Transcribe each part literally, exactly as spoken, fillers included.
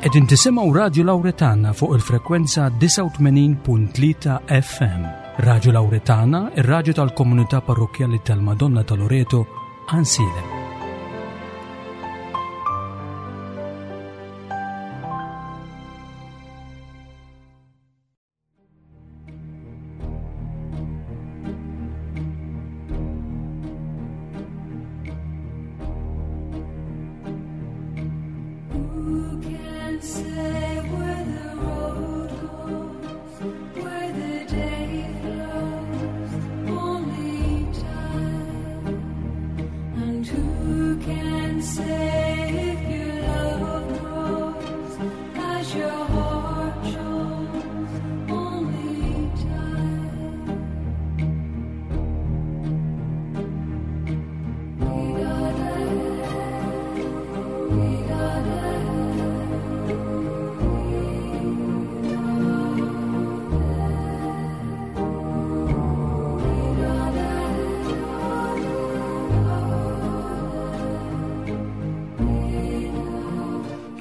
Qegħdin tisimgħu Radio Lauretana fuq il-frekwenza disgħa u tmenin punt tlieta F M. Radio Lauretana, ir-radju tal-Komunità Parrokkjali tal-Madonna ta' Loreto, Għajnsielem.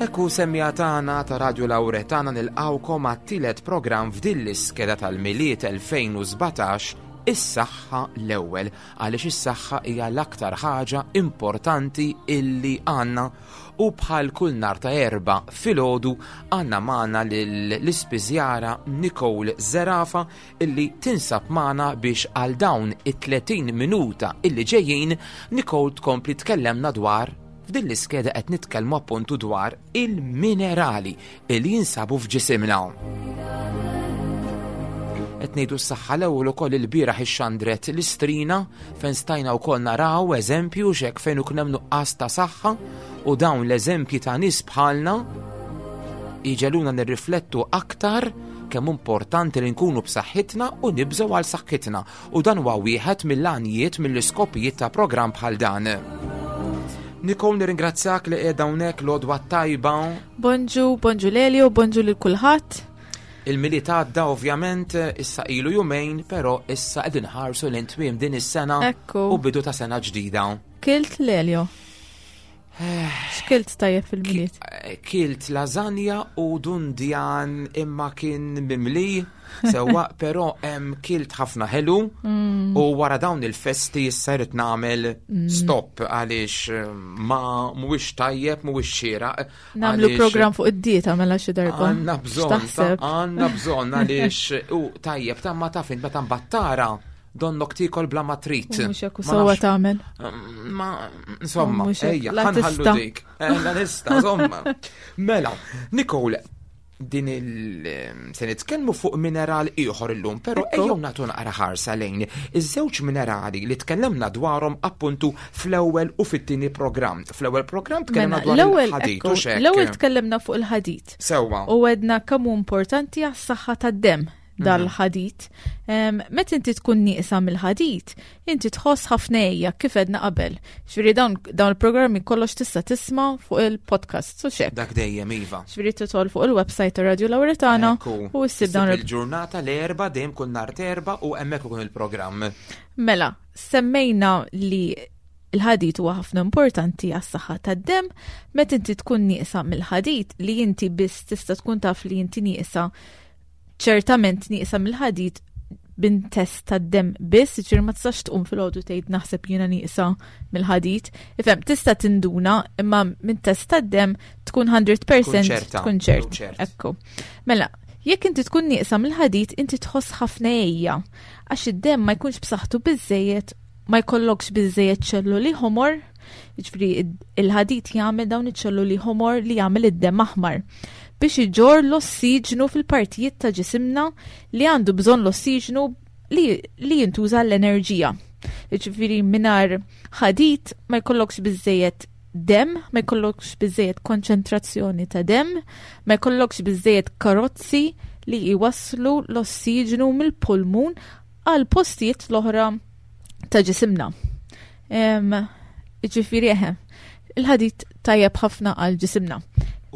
Ekku semmija tagħna ta' Radio Lauretana nilqawkom għat-tielet programm f'din l-iskeda tal-Milied elfejn u sbatax, is-saħħa l-ewwel, għaliex is-saħħa hija l-aktar ħaġa importanti illi għandna, u bħal kull nhar ta' Erbgħa filgħodu għandna magħna lill-ispiżjara Nicole Zerafa illi tinsab magħna biex għal dawn it-tletin minuta illi ġejjin Nicole tkompli tkellemna dwar f'din l-iskeda qed nitkellmu appuntu dwar il-minerali li jinsabu f'ġisimna. Qed ngħidu s-saħħa l-ewwel ukoll il-bieraħ ixxandret l-istrina fejn stajna wkoll naraw eżempju x'hekk fejn ikun hemm nuqqas ta' saħħa, u dawn l-eżempji ta' nies bħalna jiġeluna nirriflettu aktar kemm importanti li nkunu b'saħħitna u nibżgħu għal saħħitna, u dan huwa wieħed mill-għanijiet mill-iskopijiet ta' programm bħal dan. Nicole, nirringrazzjak li qiegħda hawnhekk, l-għodwa tajba. Bonġu, bonġu Lelio, bonġu lil kulħadd. Il-Milied għadda ovvjament issa ilu jumejn, però issa qegħdin ħarsu lejn tmiem din is-sena Ekku. u bidu ta' sena ġdida. Kilt Lelio? X'kilt tajjeb fil-Milied? Ki-, kilt lasagna u dundjan imma kien mimli sewwa, però hemm kilt ħafna ħelu Mm. u wara dawn il-festi issa rrid nagħmel Mm. stop għaliex, eh, ma mhuwiex tajjeb, mhuwiex xieraq. Nagħmlu għaliex programm fuq id-dieta mela xi darba. Għandna bżonn, X'taħseb? għandna bżonn għaliex u tajjeb ta' ma taf int meta mbattara donnok tikol bla ma trid. U mhux hekk u Ma sewwa nafx. tagħmel. Ma, insomma, Mhux hekk, ejja, la ħanħallu tista'. dik. Eh, la nista, insomma. Mela, Nicole, din il-, se nitkellmu fuq mineral ieħor illum, però Ekku. ejjew nagħtu naqra ħarsa lejn iż-żewġ minerali li tkellimna dwarhom appuntu fl-ewwel u fit-tieni programm. Fl-ewwel programm tkellimna Mela, dwar l-ewwel, il-ħadid, ekku, u x'hekk. L-ewwel tkellimna fuq il-ħadid. Sewwa. U għedna kemm hu importanti għas-saħħa tad-demm dal-ħadid. Em, meta inti tkun nieqsa mill-ħadid, inti tħoss ħafna ejja kif għedna qabel. Ġifieri dawn, dawn il-programmi kollox tista' tisma' fuq il-podcast, u x'hekk. Dak dejjem iva. Ġifieri tidħol fuq il-website ta' Radio Lauretana Ekku. u ssib dawn Ssib il- il-ġurnata l-Erbgħa dejjem kull nhar t'Erbgħa u hemmhekk ikun il-programm. Mela, semmejna li il-ħadid huwa ħafna importanti għas-saħħa tad-demm. Meta inti tkun nieqsa mill-ħadid, li inti biss tista' tkun taf li inti nieqsa, ċertament nieqsa mill-ħadid bin test tad-demm biss, ġifieri ma tistax tqum filgħodu tgħid naħseb jiena nieqsa mill-ħadid. Ifhem, tista' tinduna imma minn test tad-demm tkun hundred percent Tkun ċerta. tkun ċert. Tkun ċert. Ekku. Mela, jekk inti tkun nieqsa mill-ħadid, inti tħoss ħafna ejja, għax id-demm ma jkunx b'saħħtu biżejjed, ma jkollokx biżejjed ċelluli ħomor, jiġifieri id-, il-ħadid jagħmel dawn iċ-ċelluli ħomor li jagħmel id-demm aħmar biex iġorr l-ossiġnu fil-partijiet ta' ġisimna li għandu bżonn l-ossiġnu li, li jintuża l-enerġija. Jiġifieri mingħajr ħadid ma jkollokx biżejjed demm, ma jkollokx biżejjed konċentrazzjoni ta' demm, ma jkollokx biżejjed karozzi li jwasslu l-ossiġnu mill-pulmun għal postijiet l-oħra ta' ġisimna. Em, jiġifieri eħe, il-ħadid tajjeb ħafna għal ġisimna.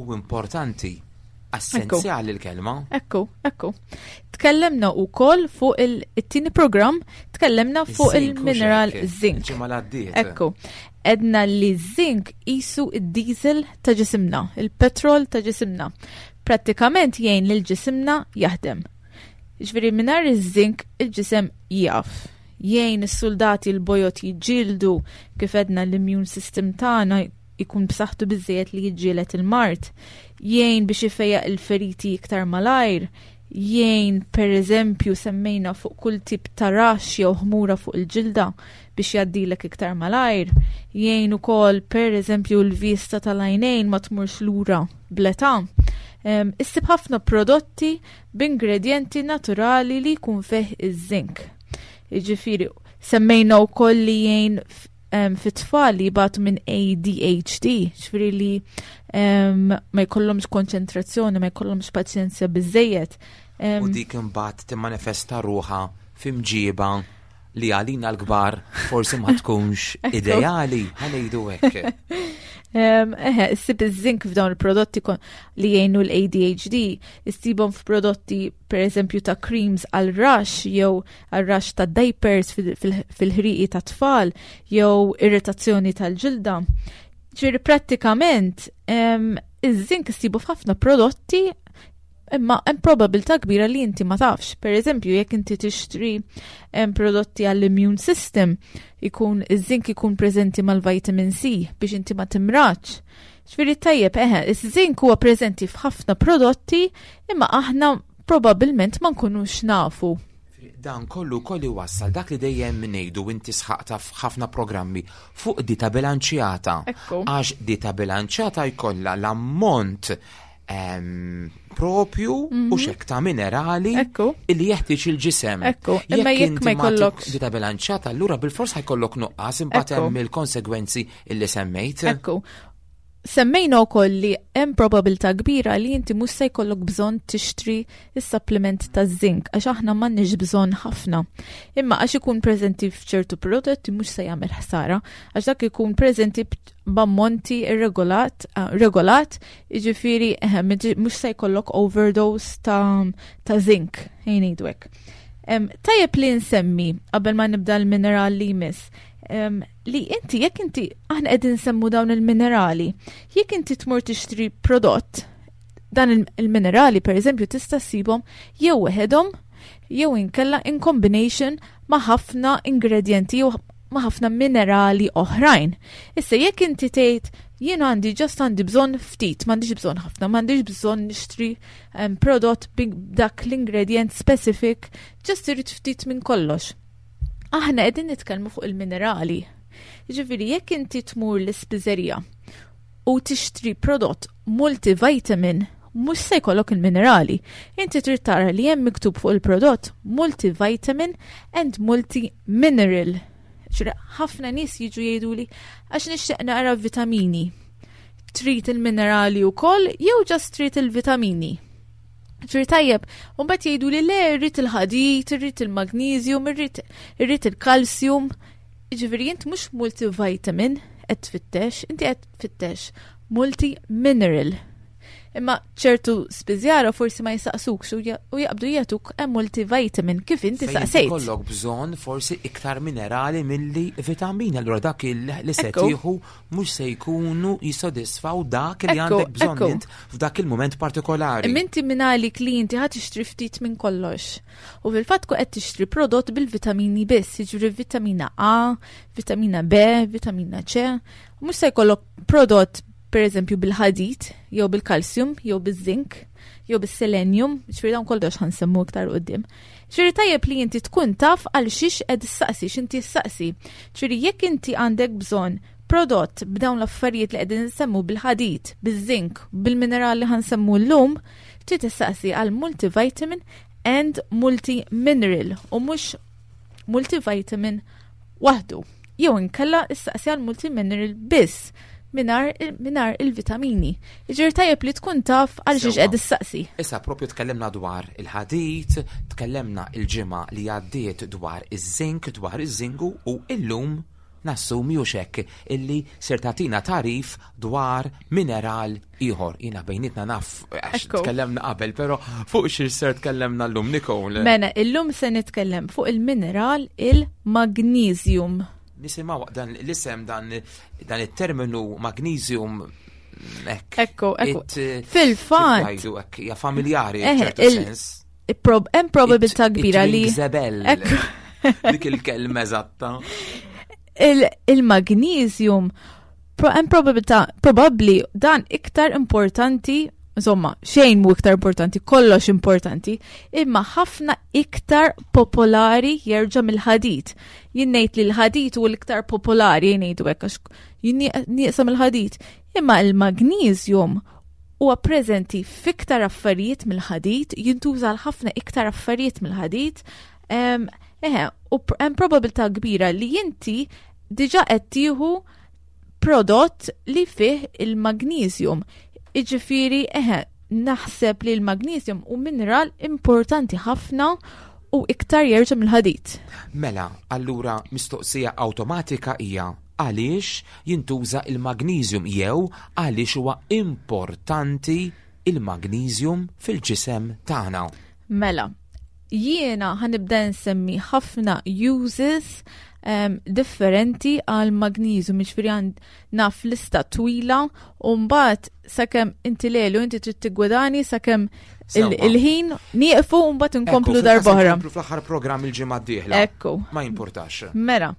U importanti, essenzjali l-kelma. Ekku, ekku. Tkellemna wkoll fuq il-, it-tieni programm, tkellemna fuq Iż-zinc, il-mineral u x'hekk. zinc. Ġimgħa l-għaddiet. Ekku. Għedna li zinc qisu id-diesel ta' ġisimna, il-petrol ta' ġisimna. Prattikament jgħin lil ġisimna jaħdem. Ġifieri mingħajr iż-zinc il-ġisem jaf. Jgħin is-soldati l-bojod jiġġieldu, kif għedna l-immune system tagħna jkun b'saħħtu biżejjed li jiġġieled il-mard. Jgħin biex ifejjaq il-feriti iktar malajr. Jgħin, per eżempju, semmejna fuq kull tip ta' rash jew ħmura fuq il-ġilda biex jgħaddilek iktar malajr. Jgħin ukoll, per eżempju, l-vista tal-għajnejn ma tmurx lura bl-età. Um, issib ħafna prodotti b'ingredienti naturali li jkun fih iż-zinc. Jiġifieri, semmejna wkoll li jgħin um, fit-tfal li jbatu minn A D H D, ġifieri li um, ma jkollhomx konċentrazzjoni, ma jkollhomx paċenzja biżejjed. Um, U dik imbagħad timmanifesta ruħha f'imġiba li għalina l-kbar forsi ma tkunx ideali, ħa ngħidu hekk. Um, eħe, issib iż-zinc f'dawn il-prodotti li jgħinu l-A D H D, issibhom f'prodotti, per eżempju, ta' creams għal rash jew għal rash ta' diapers fil-ħriqi ta' tfal jew irritazzjoni tal-ġilda. Ġifieri prattikament um, iż-zinc issibu f'ħafna prodotti, imma hemm probabilità kbira li inti ma tafx. Per eżempju, jekk inti tixtri prodotti għall-immune system, ikun iż-zinc ikun preżenti mal-vitamin C biex inti ma timradx. Ġifieri tajjeb, eħe, iż-zinc huwa preżenti f'ħafna prodotti, imma aħna probabbilment ma nkunux nafu. Dan kollu kollu wassal dak li dejjem ngħidu, inti sħaqta f'ħafna programmi fuq dieta bilanċjata. Għax dieta bilanċjata jkollha l-ammont propju u mm -hmm. xek ta' minerali illi jeħtieġ il-ġisem. Ekku, imma jekk ma jkollok dieta bilanċjata, allura bil-fors ħa jkollok nuqqas, imbagħad hemm il-konsegwenzi illi semmejt. Ekku. Semmejna wkoll li hemm probabilità kbira li inti mhux se jkollok bżonn tixtri is-supplement ta' zinc għax aħna m'għandniex bżonn ħafna. Imma għax ikun preżenti f'ċertu prodotti mhux se jagħmel ħsara, għax dak ikun preżenti b'ammonti irregolat, ah, regolat, jiġifieri eh, mhux se jkollok overdose ta', ta zinc, ħa ngħidu hekk. Tajjeb li nsemmi qabel ma nibda l-mineral li jmiss um, li inti jekk inti, aħna qegħdin nsemmu dawn il-minerali, jekk inti tmur tixtri prodott, dan il-minerali, per eżempju, tista' ssibhom jew weħedhom jew inkella in combination ma' ħafna ingredienti jew ma' ħafna minerali oħrajn. Issa jekk inti tgħid jien għandi just għandi bżonn ftit, m'għandix bżonn ħafna, m'għandix bżonn nixtri um, prodott dak l-ingredient specific, just irid ftit minn kollox. Aħna qegħdin nitkellmu fuq il-minerali. Ġifieri jekk inti tmur l-ispiżerija u tixtri prodott multivitamin, mhux se jkollok il-minerali. Inti trid tara li hemm miktub fuq il-prodott multivitamin and multimineral. Ħafna nies jiġu jgħiduli għax nixtieq naqra vitamini. Trid il-minerali wkoll jew just trid il-vitamini? Ġifieri tajjeb, u mbagħad jgħidu li le, irrid il-ħadid, irrid il-magnesium, irrid il-kalsium. Ġifieri int mhux multivitamin qed tfittex, inti qed tfittex multi-mineral. Imma ċertu spiżjara forsi ma jisaqsukx u jaqbdu jagħtuk hemm multivitamin kif inti saqsejt. Ikollok bżonn forsi iktar minerali milli vitamini, allura dak li se tieħu mhux se jkunu jissodisfaw dak li għandek bżonn int f'dak il-mument partikolari. Imma inti mingħalik li inti ħa tixtri ftit minn kollox. U fil-fatt qed tixtri prodott bil-vitamini biss, jiġri vitamina A, vitamina B, vitamina C. Mhux se jkollok prodott, per eżempju, bil-ħadid, jew bil-kalsium, jew bil-zink, jew bil-selenium, ġifieri dawn kollox ħa nsemmu iktar quddiem. Ġifieri tajjeb li inti tkun taf għal xiex qed issaqsi, x'inti ssaqsi. Ġifieri jekk inti għandek bżonn prodott b'dawn l-affarijiet li qegħdin nsemmu, bil-ħadid, bil-zink, bil-minerali ħa nsemmu llum, trid tissaqsi għal multivitamin and multimineral u mhux multivitamin waħdu. Jew inkella issaqsi għal multimineral biss mingħajr il-vitamini. Ġifieri tajjeb li tkun taf għal xiex qed issaqsi. Issa propju tkellimna dwar il-ħadid, tkellimna il-ġimgħa li għaddiet dwar iż-zink, dwar iż-żingu, u illum nassumi u xek illi ser tagħtina tagħrif dwar mineral ieħor. Jiena bejnietna naf għax tkellemna qabel, però fuq xiex ser tkellemna llum, Nicole? Mela, illum se nitkellem fuq il-mineral il-magnesium. Nisimgħu dan l-isem, dan dan it-terminu magnesium hekk. Ekku, ekku. It, eh, Fil-fatt, kif jgħidu hekk, hija familjari Eh, f'ċertu il- sens. prob- hemm probabilità It- kbira it li rings a bell. Ekku. Dik il-kelma eżatta. il- il-magnesium pro- hemm probabilità, probabbli dan iktar importanti, insomma, xejn mu iktar importanti, kollox importanti, imma ħafna iktar popolari jerġa' mill-ħadid. Jien ngħid li l-ħadid hu l-iktar popolari, jien ngħidu hekk għax jien nieqsa mill-ħadid. Imma il-magnesium huwa preżenti f'iktar affarijiet mill-ħadid, jintuża għal ħafna iktar affarijiet mill-ħadid. Em, Eħe, u pr- hemm probabilità kbira li inti diġà qed tieħu prodott li fih il-magnesium. Iġifieri, eħe, naħseb li l-magnesium hu mineral importanti ħafna u iktar jerġa' mill-ħadid. Mela, allura mistoqsija awtomatika hija għaliex jintuża il-magnesium jew għaliex huwa importanti il-magnesium fil-ġisem tagħna? Mela, jiena ħa nibda nsemmi ħafna uses um, differenti għal magnesium, jiġifieri għand naf lista twila u mbagħad sakemm inti lelu inti trid tiggwidani sakemm il- Sewwa. il-ħin nieqfu u mbagħad inkomplu Ekku, darb'oħra. fil-każ inkomplu fl-aħħar programm il-ġimgħa d-dieħla. Ekku. Ma importax. Mela,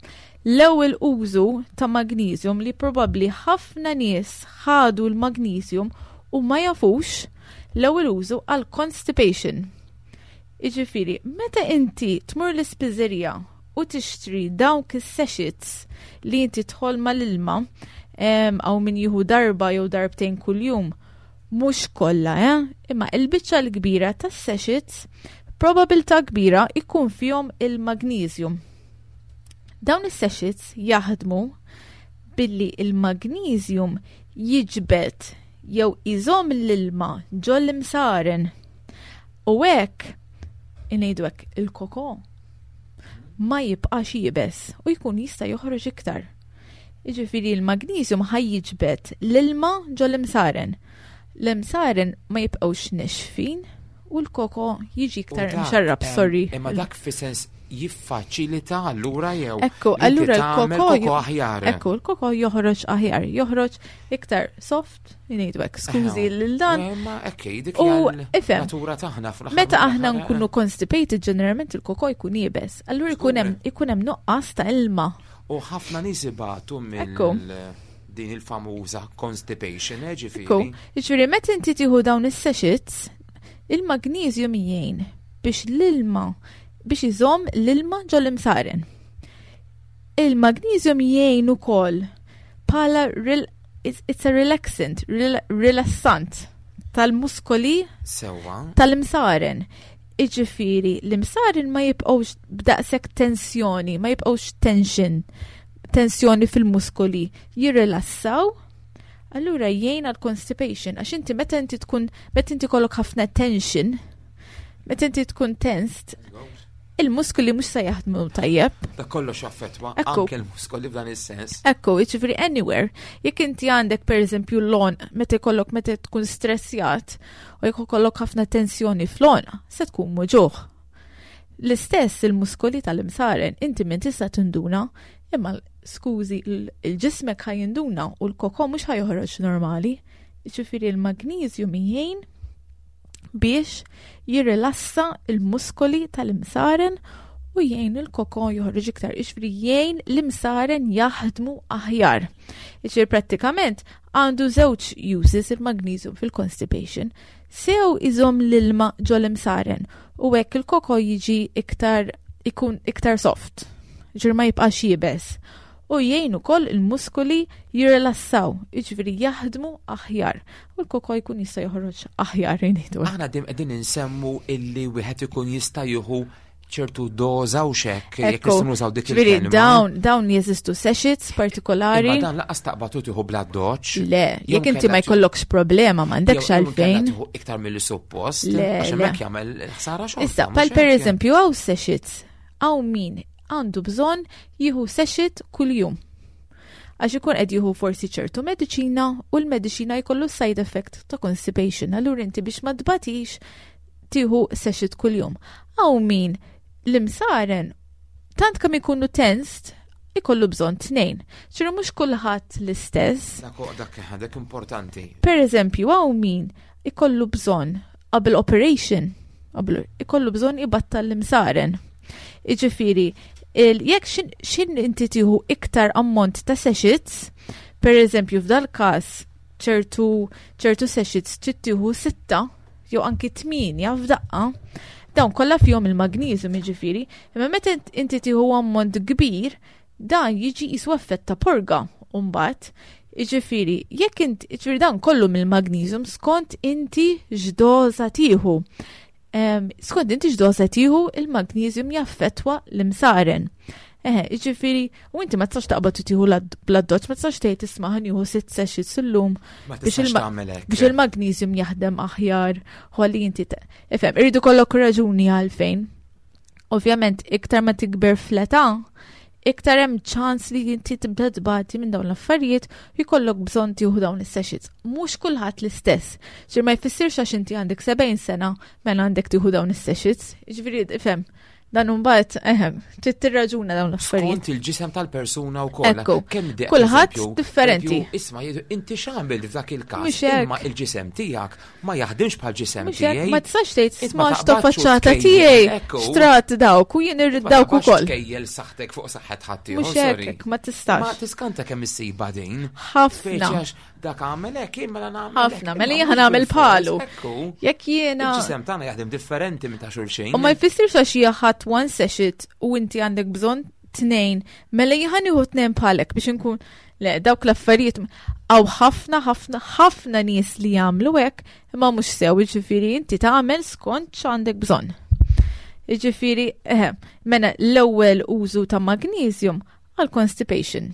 l-ewwel użu ta' magnesium li probabbli ħafna nies ħadu l-magnesium u ma jafux, l-ewwel użu għal constipation. Iġifieri, meta inti tmur l-ispiżerija u tixtri dawk is-sachets li inti tħoll mal-ilma, em, aw min jieħu darba jew darbtejn kuljum, mhux kollha, eh? Imma il-biċċa l-kbira tas-sachets probabilità kbira ikun fihom il-magnesium. Dawn is-sachets jaħdmu billi il-magnesium jiġbed jew iżomm l-ilma ġol-imsaren. U hekk ngħidu hekk, il-koko ma jibqax iebes u jkun jista' joħroġ iktar. Jiġifieri l-magnesium ħa jiġbed l-ilma ġol-imsaren. L-imsaren ma jibqgħux nixfin u l-koko jiġi iktar U dak, mxarrab, em, sorry. Imma dak fi sens jiffaċilita allura jew Ekku, li inti allura tagħmel l-koko koko aħjar. Ekku, l-koko joħroġ aħjar, joħroġ iktar soft, ngħidu hekk, skużi Eħe. lil dan. Eh, Ma ekk, dik U, hija ifhem, natura tagħna fl-aħħar meta aħna mill-aħħar, nkunu constipated, ġeneralment il-koko jkun iebes. Allura jkun hemm ikun hemm nuqqas ta' ilma. U ħafna nies ibatu mill Ekku. din il-famuża constipation, eh, Ekku, ġifieri. Jiġifieri meta inti tieħu dawn is-sachets, il-magnesium jgħin biex l-ilma biex iżomm l-ilma ġol-imsaren. Il-magnesium jgħin ukoll bħala rel it's, it's a relaxant, rel rilassant tal-muskoli Sewwa. tal-imsaren. Iġifieri, l-imsaren ma jibqgħux b'daqshekk tensjoni, ma jibqgħux tension, tensjoni fil-muskoli, jirrilassaw. Allura jgħin għal constipation, għax inti meta inti tkun, meta inti kollok ħafna tension, meta inti tkun tensed, il-muskoli mhux se jaħdmu tajjeb. Da kollox jaffettwa Ekku. anke l-muskoli f'dan is-sens. Ekku, jiġifieri anywhere, jekk inti għandek per eżempju l-għonq, meta jkollok, meta tkun stressjat u jekk ikollok ħafna tensjoni fl-għonq, se tkun muġugħ. L-istess il-muskoli tal-imsaren, inti minn tista' tinduna, imma skużi, il-ġismek ħa jinduna u l-koko mhux ħa joħroġ normali. Jiġifieri l-magnesium jgħin biex jirrilassa il-muskoli tal-imsaren u jgħin il-koko joħroġ iktar, jiġifieri jgħin l-imsaren jaħdmu aħjar. Jiġifieri prattikament għandu żewġ uses il-magnesium fil-constipation. Sew iżomm l-ilma ġol-imsaren u hekk il-koko jiġi iktar ikun iktar soft, ġir ma jibqax iebes. U jgħin ukoll il-muskoli jirrilassaw, jiġifieri jaħdmu aħjar. U l-koko jkun jista' joħroġ aħjar, ngħidu. Aħna dim qegħdin insemmu illi wieħed ikun jista' jieħu ċertu doża u xek, jekk Ekku, nistgħu nużaw dik ġifieri il-kelma. dawn dawn jeżistu sachets partikolari. Imma dan lanqas taqbad u tieħu bla doċ. Le, jekk inti ma jkollokx problema m'għandekx għalfejn. Tieħu iktar milli suppost, Le, għax le. hemmhekk jagħmel ħsara xorta. Issa, mhux pal per hekk? eżempju hawn sachets, hawn min għandu bżonn jieħu sachet kuljum. Għax ikun qed jieħu forsi ċertu mediċina u l-mediċina jkollu side effect ta' constipation. Allura inti biex ma tbatix tieħu sachet kuljum. Hawn min l-imsaren tant kemm ikunu tensed ikollu bżonn tnejn. Ċiru mhux kulħadd l-istess. Dak dak dak importanti. Per eżempju, hawn min ikollu bżonn qabel operation, qabel ikollu bżonn ibattal l-imsaren. Iġifieri, jekk xin inti tieħu iktar ammont ta' sachets, per eżempju f'dal każ ċertu ċertu sachets trid tieħu sitta jew anki tminja f'daqqa, dawn kollha fihom il-magnesium jiġifieri, imma meta inti tieħu ammont kbir, dan jiġi jisu effett ta' porga mbagħad. Jiġifieri, jekk inti, jiġifieri dan kollu mill-magnesium skont inti x'doża tieħu. Skont inti x'doża tieħu, il-magnesium jaffettwa l-imsaren. Eħe, jiġifieri, u inti ma tistax taqbad tieħu bl-addoċċ, ma tistax tgħid isma' ħa nieħu sitt sachets illum biex il-magnesium jaħdem aħjar, ħalli inti ifhem, irridu kollok raġuni għalfejn. Ovvjament, iktar ma tikber fl-età, iktar hemm ċans li inti tibda tbati minn dawn l-affarijiet u jkollok bżonn tieħu dawn is-sachets. Mhux kulħadd l-istess. Ġir ma jfissirx għax inti għandek sebgħin sena mela għandek tieħu dawn is-sachets. Ġifieri ifhem, dan imbagħad ehem, trid tirraġuna dawn l-affarijiet. Skont il-ġisem tal-persuna wkoll. Ekku. Kemm di- Kulħadd eżempju, differenti. eżempju, Isma' jgħidu inti x'għamilt f'dak il-każ, Mhux hekk. imma il-ġisem tiegħek ma jaħdimx bħal ġisem Mhux hekk, tiegħi. ma tistax tgħid Int ma isma' x'ta' taqbadx u faċċata tkejjel, tiegħi, ekku. xtrat dawk u jien irrid Ma dawk taqbadx ukoll. tkejjel saħħtek fuq saħħet ħaddieħor, Mhux sorry. hekk, ma tistax. Ma tiskanta kemm issiba din. Ħafna. Speċi għax dak għamel hekk, jien mela nagħmel hekk, Ħafna, mela imma jien mhux nagħmel bil-fors, bħalu. Ekku. Jekk jiena Il-ġisem tagħna jaħdem differenti minn ta' xulxin. U ma jfissirx għax hija ħadd one sachet u inti għandek bżonn tnejn, mela jien nieħu tnejn bħalek biex inkun le dawk l-affarijiet hawn ħafna ħafna ħafna nies li jagħmlu hekk imma mhux sew, jiġifieri inti tagħmel skont x'għandek bżonn. Jiġifieri, eħe, mela l-ewwel użu ta' magnesium għal constipation.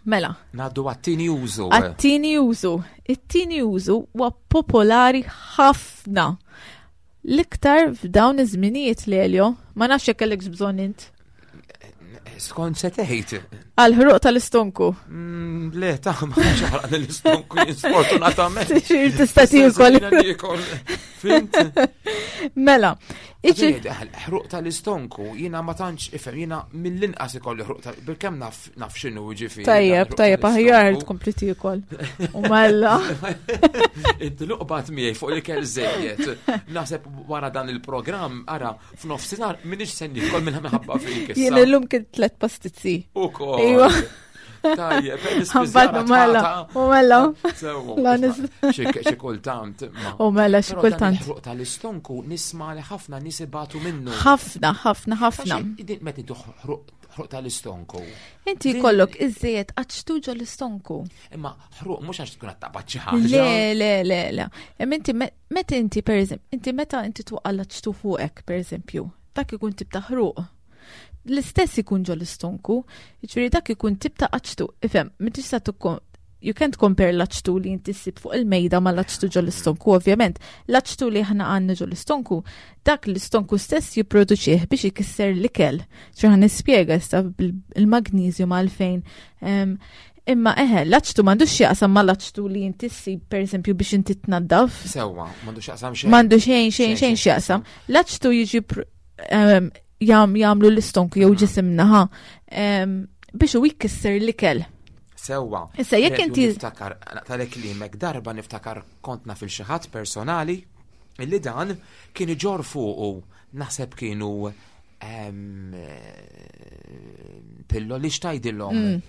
Mela. Ngħaddu għat-tieni użu. Għat-tieni użu. It-tieni użu huwa popolari ħafna. L-iktar f'dawn iż-żminijiet Lelio, ma nafx jekk kellek bżonn int. Skont se tgħid. Għal ħruq tal-istonku. Mm, Le, ta' ma ħaraq l-istonku jien sfortunatament. Xir tista' tiekol. Jiena niekol. Fhimt? Mela, iġi Ħruq tal-istonku, jiena ma tantx ifhem, jiena mill-inqas ikolli ħruq tal bil-kemm naf naf x'inhu jiġifieri. Tajjeb, dan ħruq tajjeb, aħjar tal-istonku. tkompli tiekol. U mela. Inti luqbat miegħi fuq l-ikel żejjed. Naħseb wara dan il-programm, ara, f'nofsinhar m'iniex se niekol minn minħabba fik issa. Jien illum kien tliet pastizzi. Ukoll. Iva. Tajjeb, Ħabbat u mela, u mela. Sewa. La nis- Xi xi kultant. ma. U mela xi Però dan kultant. il-ħruq tal-istonku nisma' li ħafna nies ibatu minnu. Ħafna, ħafna, ħafna. Għax din Meta intu ħruq ħruq tal-istonku. Inti Din- jkollok iżejjed aċtu ġo l-istonku. Imma ħruq mhux għax tkun qed taqbad xi ħaġa. Le, le, le, le. Imma inti me- meta inti per eżempju, inti meta inti twaqqa' l-aċtu fuqek, per eżempju, dak ikun tip ta' ħruq. L-istess ikun ġo l-istonku, jiġifieri dak ikun tip ta' aċtu. Ifhem, ma tista' tkun you can't compare l-aċtu li inti ssib fuq il-mejda ma l-aċtu ġo l-istonku, ovvjament. L-aċtu li aħna għandna ġo l-istonku, dak l-istonku stess jipproduċih biex ikisser l-ikel. ċerħan nispjega issa bil-magnesium għalfejn. Em, Imma eħe, l-aċtu m'għandux x'jaqsam ma l-aċtu li inti ssib per eżempju biex inti tnaddaf. Sewwa, m'għandux x'jaqsam xejn. M'għandu xejn, xejn, xejn x'jaqsam. L-aċtu jiġi pr- em, jam, jagħmlu l-istonku jew ġisimna ħa em, biex u jkisser l-ikel. Sewwa. Issa, jekk Redu inti- Niftakar, tal-ek limek, darba niftakar kont naf 'il xi ħadd personali illi dan kien iġor fuqu naħseb kienu em, eh, pilloli x'tgħidilhom. Mm.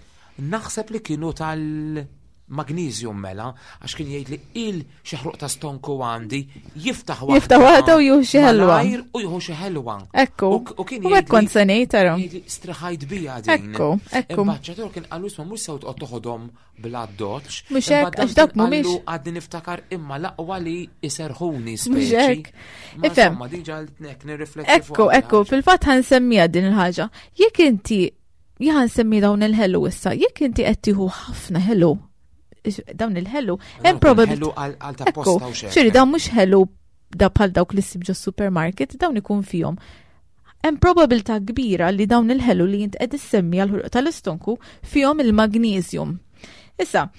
Naħseb li kienu tal-magnesium mela, għax kien jgħid li il xi ħruq ta' stonku għandi jiftaħ waħda. Jiftaħ waħda u jieħu xi ħelwa. malajr U jieħu xi ħelwa. Ekku. U- U kien U hekk kont se ngħid tara. jgħidli straħajt bija din. Ekku, ekku. Imbagħad kien qalu isma' mhux sew toqgħod toħodhom bla doċ. Mhux hekk, għax dawk mhumiex. Għadni niftakar imma l-aqwa li iserħuni Mhux speċi. hekk. Ma Ifhem. insomma, diġà nek nirrifletti Ekku, fuq ekku, fil-fatt ħa nsemmija din il-ħaġa. Jekk inti ħa nsemmi dawn il-ħelu issa, jekk inti qed tieħu ħafna ħelu, dawn il-ħelu, hemm probabilità. Ħelu għal ta' Ekku, posta u xejn. ċiri dawn mhux ħelu da bħal dawk li ssib ġo supermarket, dawn ikun fihom. Hemm probabilità kbira li dawn il-ħelu li jint qed issemmi għal ħruq tal-istonku fihom il-magnesium. Issa,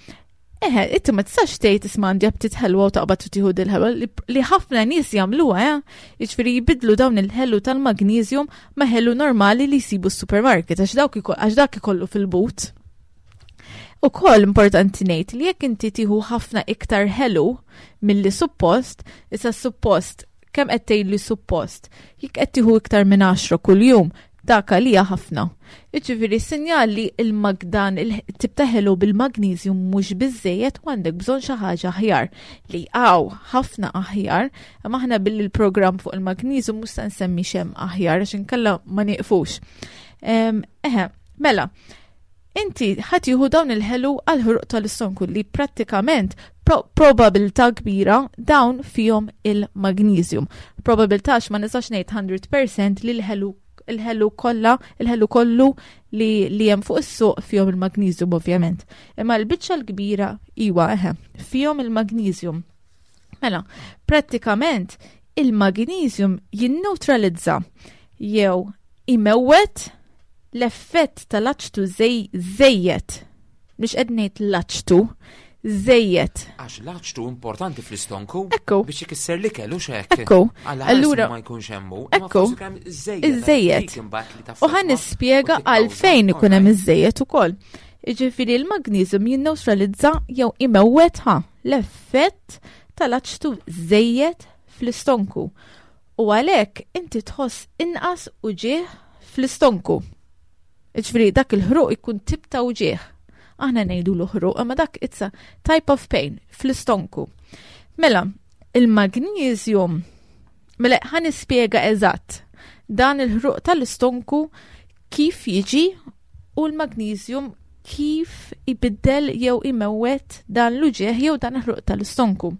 Eħe, inti ma tistax tgħid isma' għandi aptit ħelwa u taqbad u tieħu dil-ħelwa li, li ħafna nies jagħmluha, eh? Jiġifieri jbidlu dawn il-ħelu tal-magnesium ma' ħelu normali li jsibu s-supermarket għax dawk iko- għax dak ikollu fil-but. Ukoll importanti ngħid li jekk inti tieħu ħafna iktar ħelu milli suppost, issa suppost kemm qed tgħid li suppost, jekk qed tieħu iktar minn għaxra kuljum, dak għalija ħafna. Jiġifieri sinjal li il-magdan il-tip ta' ħelu bil-magnesium mhux biżejjed u għandek bżonn xi ħaġa aħjar li hawn ħafna aħjar, imma aħna billi l-programm fuq il-magnesium mhux se nsemmi x'hemm aħjar għax inkella ma nieqfux. Em, Eħe, mela, inti ħa tieħu dawn il-ħelu għal-ħruq tal-istonku li prattikament pro probabilità kbira dawn fihom il-magnesium. Probabilità għax ma nistax ngħid mija fil-mija li l-ħelu il-ħelu kollha, il-ħelu kollu li, li hemm fuq is-suq fihom il-magnesium ovvjament. Imma l-biċċa l-kbira iwa eħe, fihom il-magnesium. Mela, prattikament il-magnesium jinneutralizza jew imewwet l-effett tal-aċtu żejjed. Mhux qed ngħid l-aċtu, żejjed. Għax l-aċtu importanti fl-istonku Ekku. biex ikisser l-ikel u xek. Ekku. Allura Allura- ma jkunx hemmu. Ekku. Iż-żejjed. U ħa nispjega għalfejn ikun hemm iż-żejjed ukoll. Jiġifieri l-magnesium jinneutralizza jew imewwet ħa l-effett tal-aċtu żejjed fl-istonku. U għalhekk inti tħoss inqas uġigħ fl-istonku. Jiġifieri dak il-ħruq ikun tip ta' uġigħ. Aħna ngħidu l-ħruq, imma dak it's a type of pain fl-istonku. Mela, il-magnesium, mela ħa nispjega eżatt dan il-ħruq tal-istonku kif jiġi u l-magnesium kif ibiddel jew imewwet dan l-uġigħ jew dan il-ħruq tal-istonku.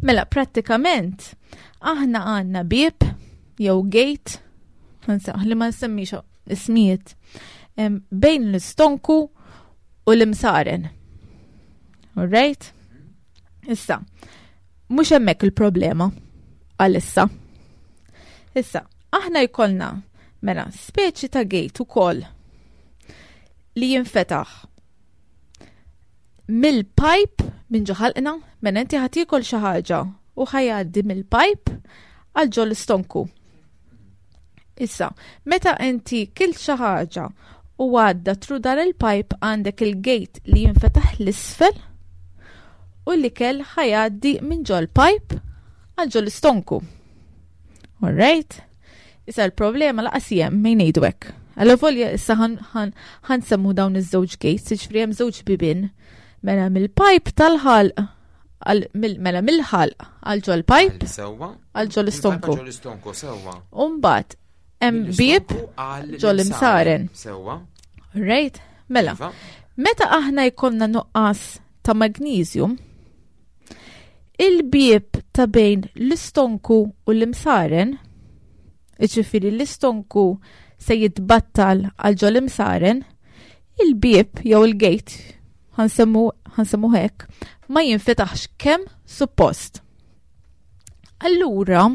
Mela, prattikament, aħna għandna bieb jew gate, li ma nsemmix ismijiet, em, bejn l-istonku u l-imsaren. Alright? Issa, mhux hemmhekk il-problema għalissa. Issa, aħna jkollna mela speċi ta' gate ukoll li jinfetaħ mill-pipe minn ġo ħalqna, mela inti ħa tiekol xi ħaġa u ħa jgħaddi mill-pipe għal ġo l-istonku. Issa, meta inti kilt xi ħaġa u għadda through dan il-pipe għandek il-gate li jinfetaħ l-isfel u l-ikel ħa jgħaddi minn ġo l-pipe għal ġo l-istonku. Alright? Issa l-problema lanqas hemm mejn ngħidu hekk. Allavolja issa ħa nsemmu dawn iż-żewġ gates, jiġifieri hemm żewġ bibien. Mela mill-pipe tal-ħalq mela mill-ħalq għal ġo l-pipe Sewwa. għal ġo l-istonku. Ġo l-istonku, sewwa. Umbagħad hemm bieb ġo l-imsaren. Sewwa. Right? Mela, Iva. meta aħna jkollna nuqqas ta' magnesium, il-bieb ta' bejn l-istonku u l-imsaren, jiġifieri l-istonku se jitbattal għal ġo l-imsaren, il-bieb jew il-gate, ħa nsemmu ħa nsemmu hekk, ma jinfetaħx kemm suppost. Allura,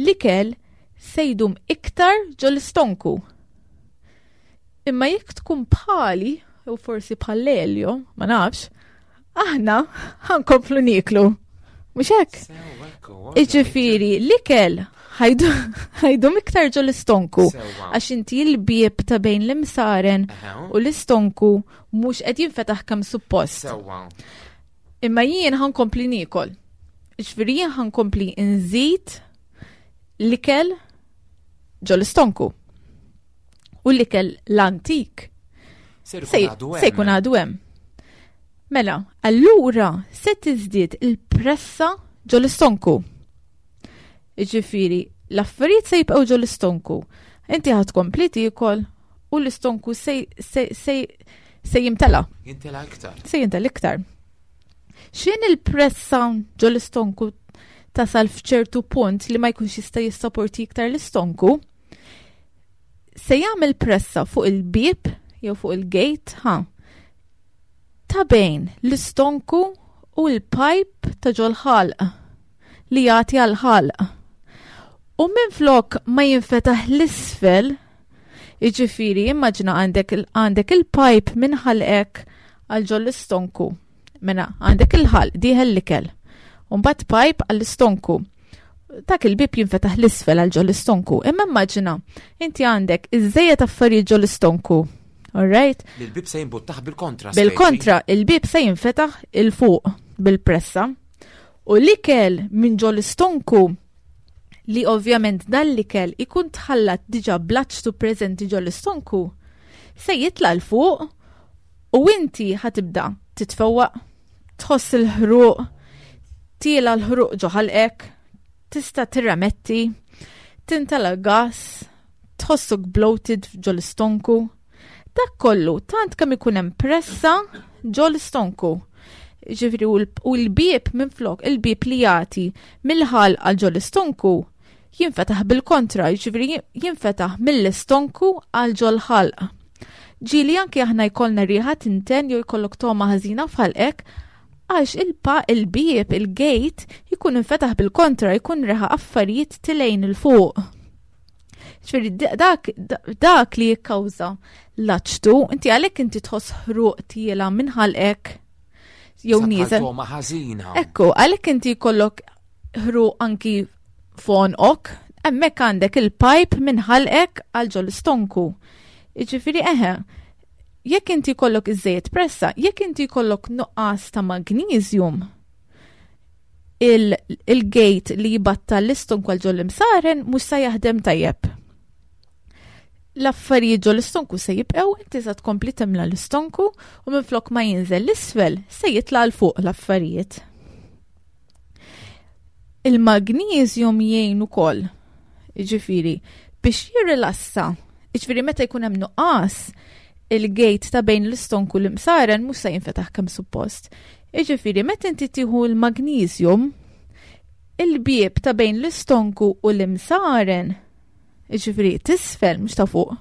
l-ikel se jdum iktar ġo l-istonku. Imma jekk tkun bħali, u forsi bħal Elio, ma nafx, aħna ħa nkomplu nieklu. Mhux hekk? Sewwa, ekku, Jiġifieri, l-ikel ħa jdum iktar ġo l-istonku. Sewwa. Għax inti l-bieb ta' bejn l-imsaren Eħe. u l-istonku mhux qed jinfetaħ kemm suppost. Sewwa. Imma jien ħa nkompli niekol. Jiġifieri jien ħa nkompli nżid l-ikel ġo l-istonku. U l-ikel l-antik Se se jkun għadu se jkun hemm. għadu hemm. Mela, allura se tiżdied il-pressa ġo l-istonku. Jiġifieri, l-affarijiet se jibqgħu ġo l-istonku. Inti ħa tkompli tiekol u l-istonku se, se, se, se jimtela, Jimtela iktar. se jimtela iktar. X'ħin il-pressa ġo l-istonku tasal f'ċertu punt li ma jkunx jista' jissapporti iktar l-istonku, se jagħmel pressa fuq il-bieb jew fuq il-gate, ha, ta' bejn l-istonku u l-pipe ta' ġol-ħalq li jagħti għal-ħalq. U minn flok ma jinfetaħ l-isfel, jiġifieri immaġina għandek il- għandek il-pipe minn ħalqek għal ġol l-istonku. Mela għandek il-ħalq dieħel l-ikel. U mbagħad pipe għall-istonku. Dak il-bib jinfetaħ l-isfel għal ġol istonku. Imma immaġina, inti għandek iżżejjed affarijiet ġol istonku. All right? Il-bib se jimbuttaħ bil-kontra. Bil-kontra, il-bib se jinfetaħ il-fuq bil-pressa. U l-ikel minn ġol istonku li ovvjament dan l-ikel ikun tħallat diġa bl-aċtu preżenti ġol istonku, se jitla 'l fuq u inti ħa tibda titfewwaq, tħoss il-ħruq, tiela l-ħruq ġo ħalqek, tista' tirremetti, tintela gas, tħossok bloated ġol istonku. Dak kollu tant kemm ikun hemm pressa ġol istonku. Ġifieri u l-bieb minflok, il-bieb li jagħti mill-ħalq għal ġol istonku jinfetaħ bil-kontra, ġifieri jinfetaħ mill-istonku għal ġol ħalq. Ġieli anki aħna jkollna riħa tinten jew jkollok togħma ħażina f'ħalqek għax il-pa il-bieb, il-gate jkun infetaħ bil-kontra, jkun reħa affarijiet tilejn il-fuq. Ġifieri dak, dak li jikkawża l-aċtu, inti għalhekk inti tħoss ħruq tiela minn ħalqek jew nieżel. Togħma ħażina. Ekku, għalhekk inti jkollok ħruq anki f'għonqok, hemmhekk għandek il-pipe minn ħalqek għal ġol istonku. Jiġifieri eħe, jekk inti jkollok iżżejjed pressa, jekk inti jkollok nuqqas ta' magnesium, il-gate li jibatta l-istonku għal ġol imsaren mhux se jaħdem tajjeb. L-affarijiet ġol istonku se jibqgħu, inti se tkompli timla l-istonku u minflok ma jinżel l-isfel se jitla' 'l fuq l-affarijiet. Il-magnesium jgħin ukoll, jiġifieri, biex jirrilassa. Jiġifieri meta jkun hemm nuqqas, il-gate ta' bejn l-istonku l-imsaren mhux se jinfetaħ kemm suppost. Jiġifieri meta inti tieħu l-magnesium, il-bieb ta' bejn l-istonku u l-imsaren, jiġifieri tisfel mhux ta' fuq,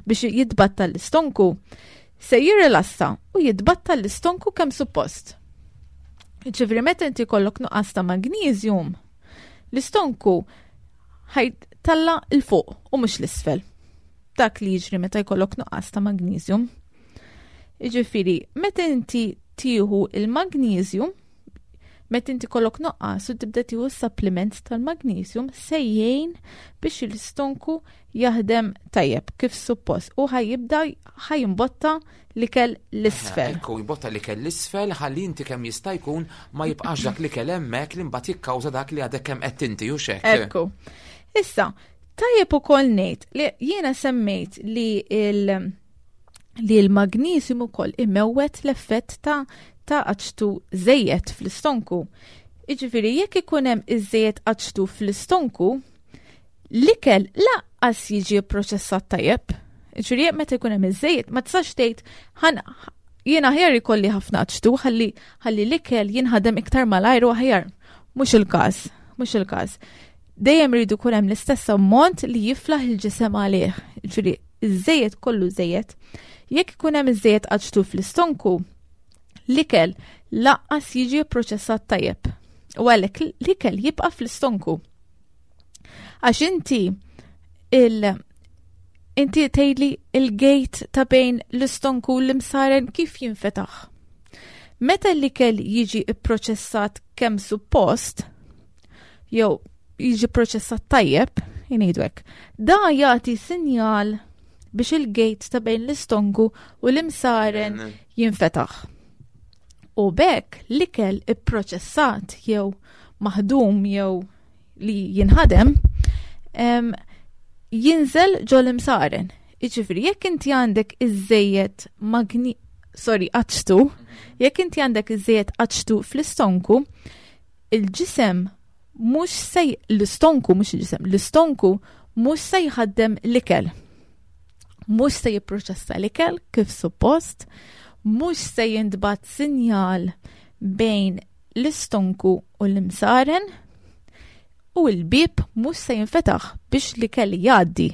biex jitbatta l-istonku, se jirrilassa u jitbatta l-istonku kemm suppost. Jiġifieri meta inti jkollok nuqqas ta' magnesium, l-istonku ħajtalla 'l fuq u mhux l-isfel. Dak li jiġri meta jkollok nuqqas ta' magnesium. Jiġifieri, meta inti tieħu il-magnesium, meta inti kollok nuqqas u tibda tieħu supplement tal-magnesium, se jgħin biex l-istonku jaħdem tajjeb kif suppost u ħa jibda ħa jimbotta l-ikel l-isfel. Ekku, jimbotta l-ikel l-isfel ħalli inti kemm jista' jkun ma jibqax dak l-ikel hemmhekk li mbagħad jikkawża dak li għadek kemm qed inti u xek. Ekku. Issa, tajjeb ukoll ngħid li jiena semmejt li il- li l-magnesium ukoll imewwet l-effett ta' ta' aċtu żejjed fl-istonku. Jiġifieri jekk ikun hemm iżejjed aċtu fl-istonku, l-ikel lanqas jiġi pproċessat tajjeb. Jiġifieri jekk meta jkun hemm iżejjed, ma tistax tgħid ħan jiena aħjar ikolli ħafna aċtu ħalli ħalli l-ikel jinħadem iktar malajr u aħjar. Mhux il-każ, mhux il-każ. Dejjem rridu jkun hemm l-istess ammont li jiflaħ il-ġisem għalih. Jiġifieri iż-żejjed kollu żejjed. Jekk ikun hemm iżejjed aċtu fl-istonku, l-ikel lanqas jiġi pproċessat tajjeb. U għalhekk l-ikel jibqa' fl-istonku. Għax inti il inti tgħidli il-gate ta' bejn l-istonku u l-imsaren kif jinfetaħ. Meta l-ikel jiġi pproċessat kemm suppost, jew jiġi pproċessat tajjeb, jgħidu hekk, da jagħti sinjal biex il-gate ta' bejn l-istonku u l-imsaren jinfetaħ. U b'hekk l-ikel ipproċessat jew maħdum jew li jinħadem em, jinżel ġol imsaren. Jiġifieri, jekk inti għandek iżejjed magni, sorry, aċtu, jekk inti għandek iżejjed aċtu fl-istonku, il-ġisem mhux se l-istonku mhux il-ġisem, l-istonku mhux se jħaddem l-ikel. Mhux se jipproċessa l-ikel kif suppost, mhux se jintbagħat sinjal bejn l-istonku u l-imsaren u l-bib mhux se jinfetaħ biex l-ikel jgħaddi.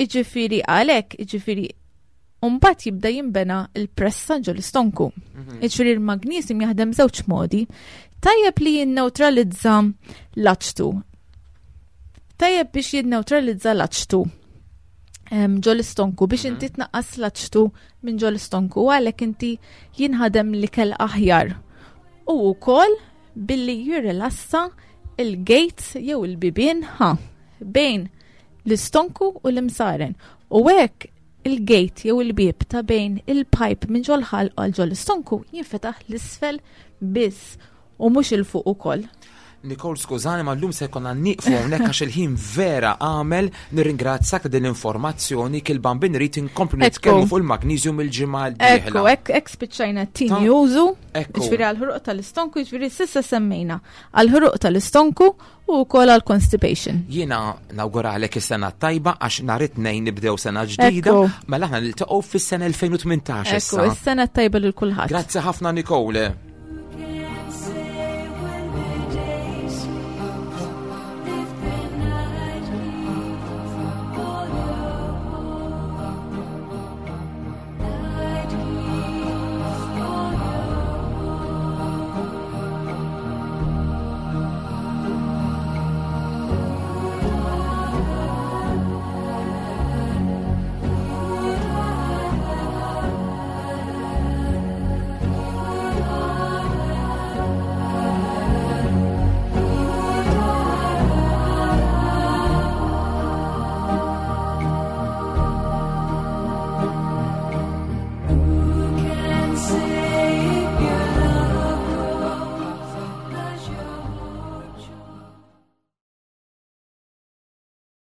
Jiġifieri għalhekk, jiġifieri mbagħad jibda jinbena il-pressa ġo l-istonku. Jiġifieri l-magnesium jaħdem żewġ modi. Tajjeb li jinneutralizza l-aċtu. Tajjeb biex jinneutralizza l-aċtu. Ġo l-istonku biex inti tnaqqas l-aċtu minn ġo l-istonku, għalhekk inti jinħadem l-ikel aħjar. U wkoll billi jirrilassa il-gates jew il-bibien ħa bejn l-istonku u l-imsaren. U hekk il-gate jew il-bib ta' bejn il-pipe minn ġol ħalq għal ġol istonku jinfetaħ l-isfel biss u mhux 'il fuq ukoll. Nicole, skużani, ma llum se jkollna nieqfu hawnhekk għax il-ħin vera għamel. Nirringrazzjak ta' din l-informazzjoni. Kil-bambin rrid inkomplu nitkellmu fuq il-magnesium il-ġimgħa l-dieħla. Ekku, hekk hekk spiċċajna t-tieni użu, ġifieri għall-ħruq tal-istonku, ġifieri s'issa semmejna għall-ħruq tal-istonku u wkoll għal constipation. Jiena nawguralek is-sena tajba għax nhar it-Tnejn nibdew sena ġdida, mela aħna niltaqgħu fis-sena elfejn u tmintax issa. Ekku, is-sena tajba lil kulħadd. Grazzi ħafna, Nicole.